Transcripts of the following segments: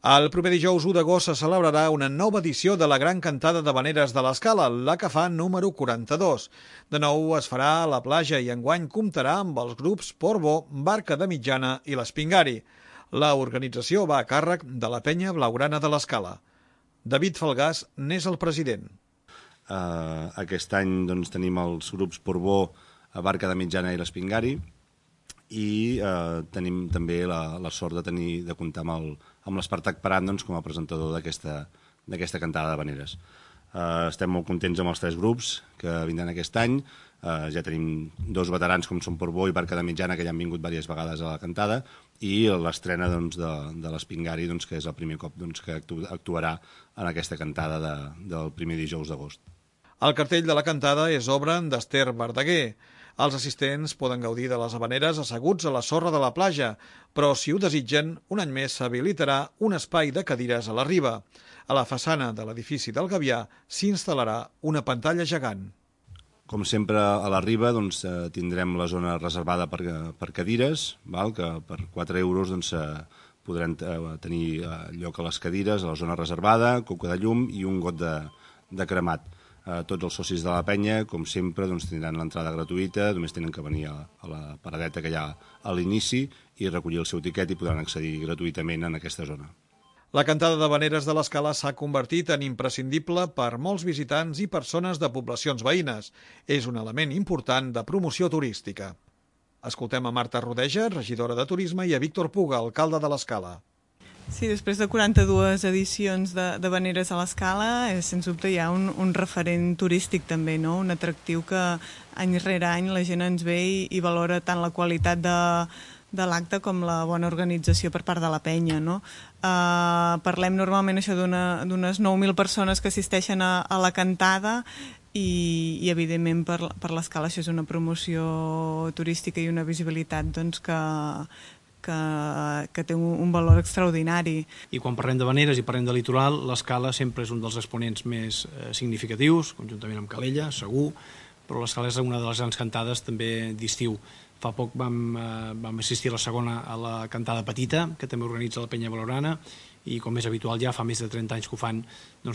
El proper dijous 1 d'agost se celebrarà una nova edició de la Gran Cantada d'Havaneres de l'Escala, la que fa número 42. De nou es farà a la platja i enguany comptarà amb els grups Portbó, Barca de Mitjana i l'Espingari. La organització va a càrrec de la Penya Blaugrana de l'Escala. David Falgàs n'és el president. Aquest any tenim els grups Portbó, Barca de Mitjana i l'Espingari, i tenim també la sort de comptar amb l'Espartac Paran com a presentador d'aquesta cantada d'havaneres. Estem molt contents amb els 3 grups que vindran aquest any. Ja tenim 2 veterans com són Portbó i Barca de Mitjana, que ja han vingut diverses vegades a la cantada, i l'estrena de l'Espingari, que és el primer cop que actuarà en aquesta cantada del primer dijous d'agost. El cartell de la cantada és obra d'Ester Verdaguer. Els assistents poden gaudir de les havaneres asseguts a la sorra de la platja, però si ho desitgen, un any més s'habilitarà un espai de cadires a la riba. A la façana de l'edifici del Gavià s'instal·larà una pantalla gegant. Com sempre, a la riba tindrem la zona reservada per cadires, que per 4 euros podran tenir lloc a les cadires, a la zona reservada, coca de llum i un got de cremat. Tots els socis de la penya, com sempre, tindran l'entrada gratuïta, només tenen que venir a la paradeta que hi ha a l'inici i recollir el seu tiquet i podran accedir gratuïtament en aquesta zona. La cantada d'havaneres de l'Escala s'ha convertit en imprescindible per molts visitants i persones de poblacions veïnes. És un element important de promoció turística. Escoltem a Marta Rodeja, regidora de Turisme, i a Víctor Puga, alcalde de l'Escala. Sí, després de 42 edicions d'havaneres a l'Escala, sens dubte hi ha un referent turístic també, no? Un atractiu que any rere any la gent ens ve i valora tant la qualitat de l'acte com la bona organització per part de la penya, no? Parlem normalment això d'unes 9.000 persones que assisteixen a la cantada i evidentment per l'Escala això és una promoció turística i una visibilitat que té un valor extraordinari. I quan parlem d'havaneres i parlem de litoral, l'Escala sempre és un dels exponents més significatius, conjuntament amb Calella, segur, però l'Escala és una de les grans cantades també d'estiu. Fa poc vam assistir a la segona, a la cantada petita, que també organitza la Penya Blaugrana, i com és habitual ja fa més de 30 anys que ho fan,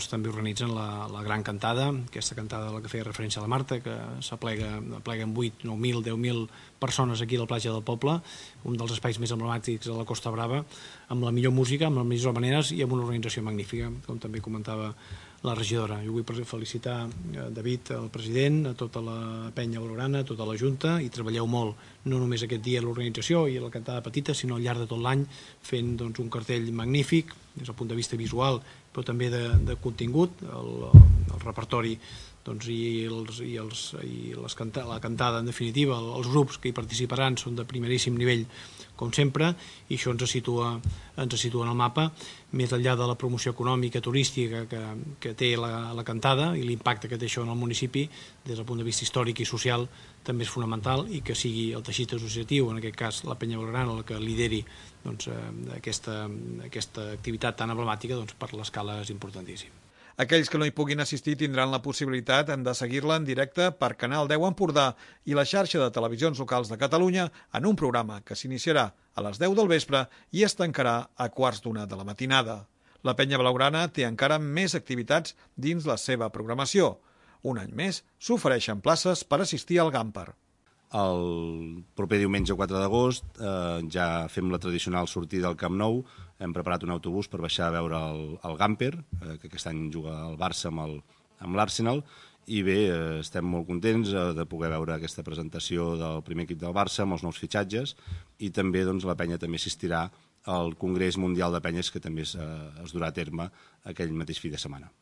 també organitzen la gran cantada, aquesta cantada a la que feia referència a la Marta, que s'aplega amb 8, 9.000, 10.000 persones aquí a la platja del poble, un dels espais més emblemàtics de la Costa Brava, amb la millor música, amb les millors havaneres i amb una organització magnífica, com també comentava la regidora. Jo vull felicitar David, el president, a tota la Penya Blaugrana, a tota la Junta, i treballeu molt, no només aquest dia a l'organització i a la cantada petita, sinó al llarg de tot l'any, fent un cartell magnífic, des del punt de vista visual, però també de contingut, el repertori i la cantada, en definitiva, els grups que hi participaran són de primeríssim nivell, com sempre, i això ens situa en el mapa, més enllà de la promoció econòmica, turística que té la cantada i l'impacte que té això en el municipi, des del punt de vista històric i social, també és fonamental, i que sigui el teixit associatiu, en aquest cas la Penya Blaugrana, el que lideri aquesta activitat tan emblemàtica, per l'Escala és importantíssim. Aquells que no hi puguin assistir tindran la possibilitat de seguir-la en directe per Canal 10 Empordà i la xarxa de televisions locals de Catalunya en un programa que s'iniciarà a les 10 del vespre i es tancarà a 1:15 de la matinada. La Penya Blaugrana té encara més activitats dins la seva programació. Un any més s'ofereixen places per assistir al Gamper. El proper diumenge 4 d'agost ja fem la tradicional sortida al Camp Nou. Hem preparat un autobús per baixar a veure el Gamper, que aquest any juga el Barça amb l'Arsenal, i bé, estem molt contents de poder veure aquesta presentació del primer equip del Barça amb els nous fitxatges, i també la penya també assistirà al Congrés Mundial de Penyes, que també es durà a terme aquell mateix fi de setmana.